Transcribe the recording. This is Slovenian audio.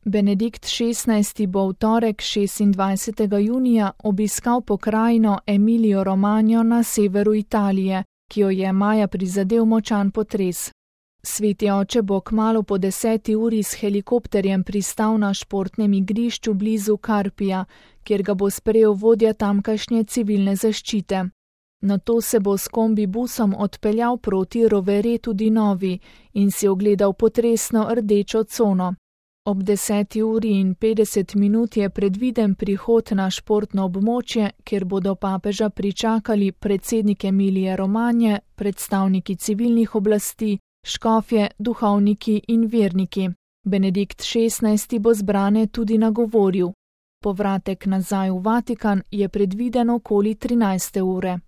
Benedikt XVI. Bo v torek 26. junija obiskal pokrajino Emilio Romagno na severu Italije, ki jo je maja prizadel močan potres. Sveti oče bo kmalu po 10. uri s helikopterjem pristal na športnem igrišču blizu Carpija, kjer ga bo sprejel vodja tamkajšnje civilne zaščite. Nato se bo s kombibusom odpeljal proti Roveretu di Novi in si ogledal potresno rdečo cono. Ob 10:50 je predviden prihod na športno območje, kjer bodo papeža pričakali predsednik Emilije Romagne, predstavniki civilnih oblasti, škofje, duhovniki in verniki. Benedikt XVI. Bo zbrane tudi nagovoril. Povratek nazaj v Vatikan je predviden okoli 13. ure.